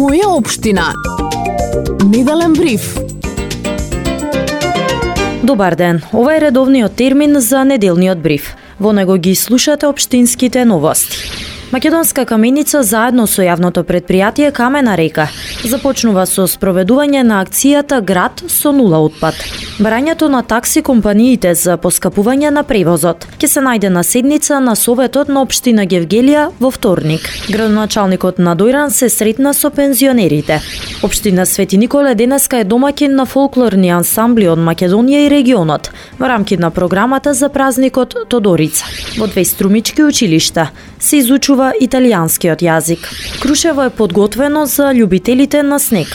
Моја општина. Неделен бриф. Добар ден, ова е редовниот термин за неделниот бриф. Во него ги слушате општинските новости. Македонска каменица заедно со јавното предпријатие Камена река започнува со спроведување на акцијата Град со нула отпад. Барањето на такси компаниите за поскапување на превозот ќе се најде на седница на Советот на општина Гевгелија во вторник. Градоначалникот на Дојран се сретна со пензионерите. Општина Свети Николе денеска е домаќин на фолклорни ансамбли од Македонија и регионот во рамки на програмата за празникот Тодорица. Во две струмички училишта се изучува италијанскиот јазик. Крушево е подготвено за љубителите на снег.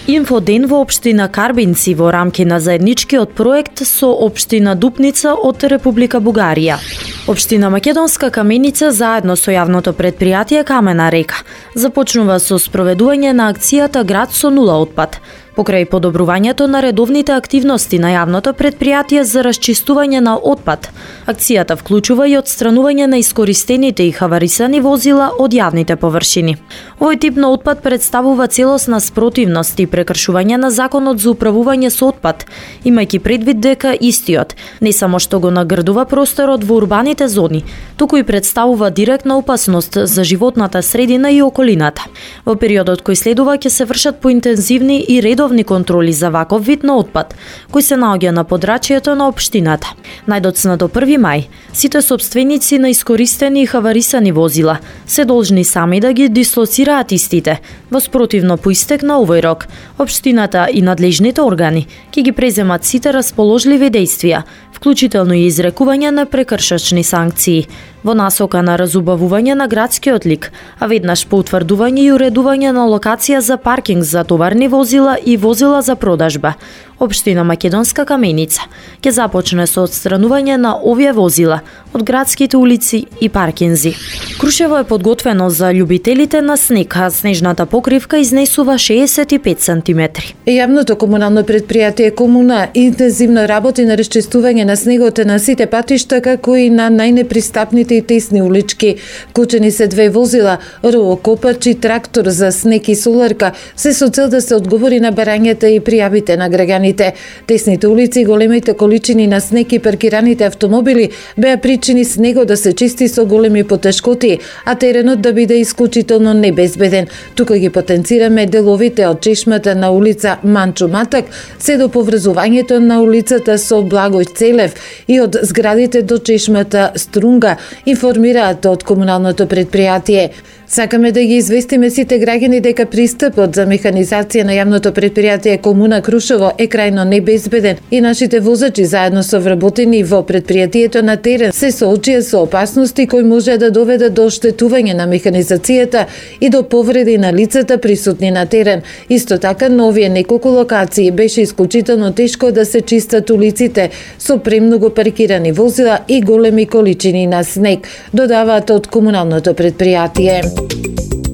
Инфоден во општина Карбинци во рамки на заедничкиот проект со општина Дупница од Република Бугарија. Општина Македонска каменица заедно со јавното предпријатие Камена река започнува со спроведување на акцијата Град со нула отпад. Покрај подобрувањето на редовните активности на јавното предпријатие за расчистување на отпад, акцијата вклучува и отстранување на искористените и хаварисани возила од јавните површини. Овој тип на отпад представува целосна спротивност и прекршување на законот за управување со отпад, имајќи предвид дека истиот не само што го нагрдува просторот во урбаните зони, туку и представува директна опасност за животната средина и околината. Во периодот кој следува ќе се вршат поинтензивни и редовни контроли за ваков вид на отпад, кој се наоѓа на подрачјето на општината. Најдоцна до 1 мај, сите сопственици на искористени и хаварисани возила се должни сами да ги дислоцираат истите. Во спротивно по истек на овој рок, општината и надлежните органи ќе ги преземат сите расположливи дејствија, вклучително и изрекување на прекршачни санкции, во насока на разубавување на градскиот лик, а веднаш по утврдување и уредување на локација за паркинг за товарни возила и возила за продажба. Општина Македонска каменица ќе започне со отстранување на овие возила од градските улици и паркинзи. Крушево е подготвено за љубителите на снег, а снежната покривка изнесува 65 сантиметри. Јавното комунално предпријатие Комуна интензивно работи на расчистување на снегот на сите патишта, како и на најнепристапните и тесни улички. Вклучени се две возила, ровокопач и трактор за снег и соларка, се со цел да се одговори на барањата и пријавите на граѓаните. Тесните улици, големите количини на снег и паркираните автомобили беа причини снегот да се чисти со големи потешкоти, а теренот да биде исклучително небезбеден. Тука ги потенцираме деловите од чешмата на улица Манчо Матак, се до поврзувањето на улицата со Благој Целев и од зградите до чешмата Струнга, информираат од комуналното предпријатие. Сакаме да ги известиме сите граѓани дека пристапот за механизација на јавното предпријатие Комуна Крушево е крајно небезбеден и нашите возачи заедно со вработени во предпријатието на терен се соочија со опасности кои може да доведат до оштетување на механизацијата и до повреди на лицата присутни на терен. Исто така, на овие неколку локации беше исклучително тешко да се чистат улиците со премногу паркирани возила и големи количини на снег, додаваат од комуналното предпријатие.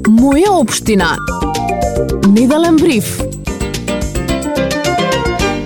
Моја општина. Неделен бриф.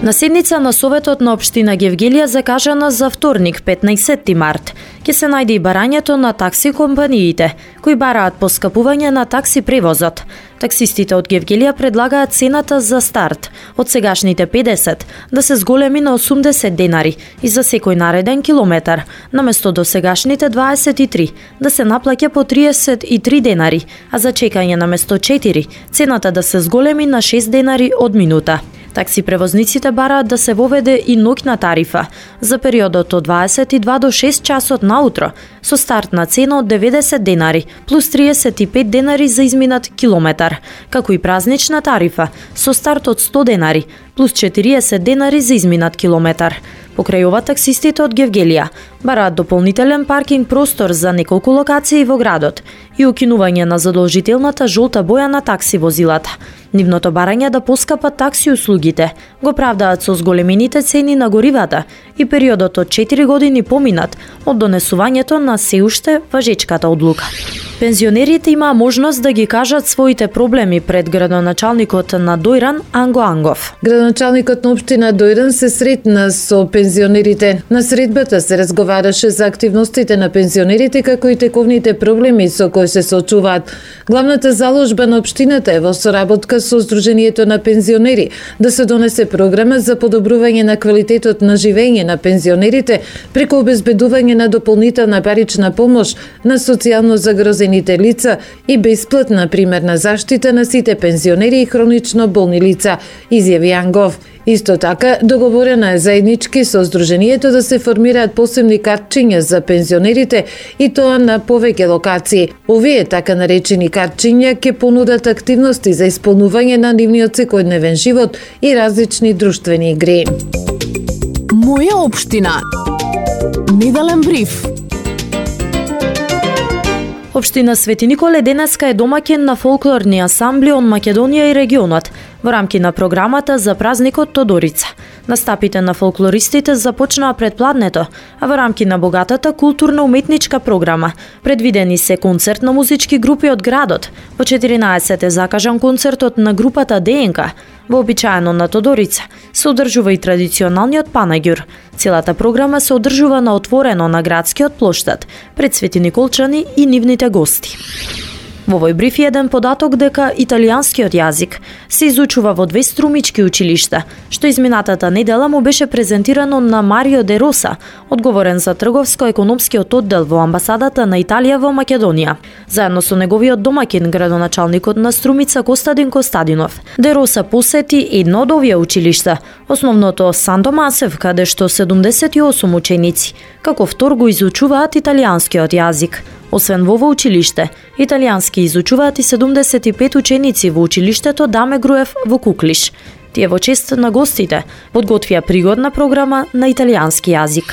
На седница на Советот на општина Гевгелија закажана за вторник, 15 март, ќе се најде и барањето на такси компаниите, кои бараат поскапување на такси превозот. Таксистите од Гевгелија предлагаат цената за старт од сегашните 50 да се зголеми на 80 денари и за секој нареден километар, наместо до сегашните 23 да се наплаќа по 33 денари, а за чекање наместо 4 цената да се зголеми на 6 денари од минута. Такси превозниците бараат да се воведе и ноќна тарифа за периодот од 22 до 6 часот наутро со стартна цена од 90 денари плюс 35 денари за изминат километар, како и празнична тарифа со старт од 100 денари плюс 40 денари за изминат километар. Покрај ова, таксистите од Гевгелија бараат дополнителен паркинг простор за неколку локации во градот и укинување на задолжителната жолта боја на такси возилата. Нивното барање да поскапат такси услугите го правдаат со зголемените цени на горивата и периодот од 4 години поминат од донесувањето на се уште важечката одлука. Пензионерите имаа можност да ги кажат своите проблеми пред градоначалникот на Дојран Анго Ангов. Градоначалникот на општина Дојран се сретна со пензионерите. На средбата се разговараше за активностите на пензионерите како и тековните проблеми со кои се соочуваат. Главната заложба на општината е во соработка со Сдруженијето на пензионери да се донесе програма за подобрување на квалитетот на живење на пензионерите преку обезбедување на дополнителна парична помош на социјално загрозените лица и бесплатна примерна заштита на сите пензионери и хронично болни лица, изјави Ангов. Исто така, договорена е заеднички со Сдруженијето да се формираат посебни картчиња за пензионерите и тоа на повеќе локации. Овие така наречени картчиња ќе понудат активности за исполнување на нивниот секојдневен живот и различни друштвени игри. Моја општина. Неделен бриф. Општина Свети Николе денеска е домаќин на фолклорни асамбли од Македонија и регионот во рамки на програмата за празникот Тодорица. Настапите на фолклористите започнаа предпладнето, а во рамки на богатата културно-уметничка програма предвидени се концерт на музички групи од градот. Во 14 е закажан концертот на групата ДНК. Вообичаено на Тодорица се одржува и традиционалниот панаѓур. Целата програма се одржува на отворено на градскиот плоштад пред Свети Николчани и нивните гости. Во овој бриф е еден податок дека италијанскиот јазик се изучува во 2 струмички училишта, што изминатата недела му беше презентирано на Марио де Роса, одговорен за трговско-економскиот оддел во амбасадата на Италија во Македонија. Заедно со неговиот домаќин, градоначалникот на Струмица Костадин Костадинов, де Роса посети едно од овие училишта, основното Сан Томасев, каде што 78 ученици, како втор го изучуваат италијанскиот јазик. Освен во училиште, италијански изучуваат и 75 ученици во училиштето Даме Груев во Куклиш. Тие во чест на гостите подготвија пригодна програма на италијански јазик.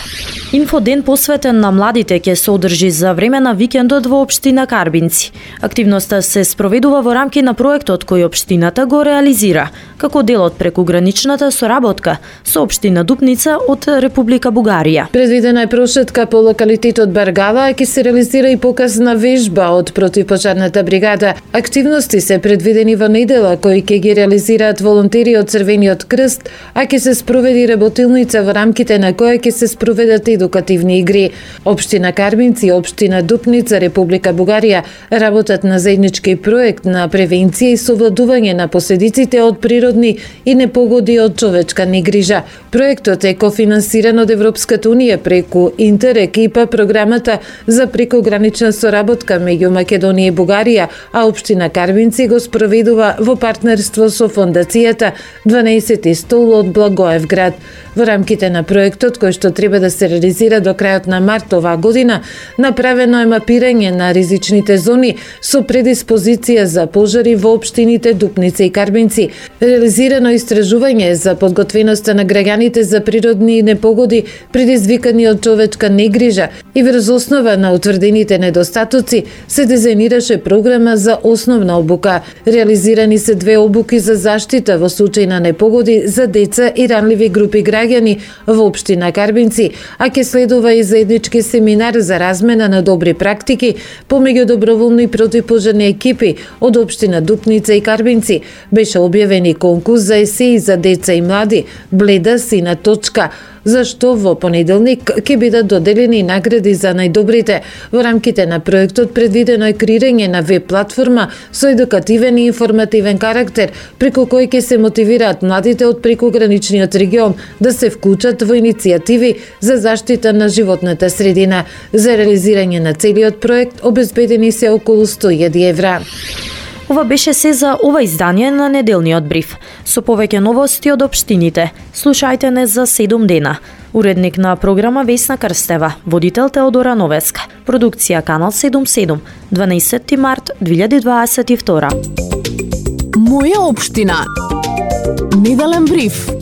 Инфоден посветен на младите ќе се одржи за време на викендот во општина Карбинци. Активноста се спроведува во рамки на проектот кој општината го реализира, како дел од прекуграничната соработка со општина Дупница од Република Бугарија. Предвидена е прошетка по локалитетот Баргала, а ќе се реализира и показна вежба од противпожарната бригада. Активности се предвидени во недела кои ќе ги реализираат волонтери од Црвениот крст, а ќе се спроведи работилница во рамките на која ќе се спроведат едукативни игри. Општина Карбинци и општина Дупница, Република Бугарија работат на заеднички проект на превенција и совладување на последиците од природни и непогоди од човечка негрижа. Проектот е кофинансиран од Европската унија преку Интерек ИПА, програмата за прекогранична соработка меѓу Македонија и Бугарија, а општина Карбинци го спроведува во партнерство со фондацијата 12 стол од Благоевград. Во рамките на проектот, кој што треба да се реализира до крајот на март оваа година, направено е мапирање на ризичните зони со предиспозиција за пожари во општините Дупница и Карбинци. Реализирано истражување за подготвеноста на граѓаните за природни непогоди предизвикани од човечка негрижа и врз основа на утврдените недостатоци се дизајнираше програма за основна обука. Реализирани се 2 обуки за заштита во случај на непогоди за деца и ранливи групи граѓани во општина Карбинци, а ќе следува и заеднички семинар за размена на добри практики помеѓу доброволни противпожарни екипи од општина Дупница и Карбинци. Беше објавен и конкурс за есеи за деца и млади, Бледа сина точка, за што во понеделник ќе бидат доделени награди за најдобрите. Во рамките на проектот предвидено е креирање на веб платформа со едукативен и информативен карактер, преку кој ќе се мотивираат младите од прекуграничниот регион да се вклучат во иницијативи за заштита на животната средина. За реализирање на целиот проект обезбедени се околу 100.000 евра. Ова беше се за ова издание на неделниот бриф. Со повеќе новости од општините, слушајте не за 7 дена. Уредник на програма Весна Крстева, водител Теодора Новеска. Продукција Канал 77, 12 март 2022. Моја општина. Неделен бриф.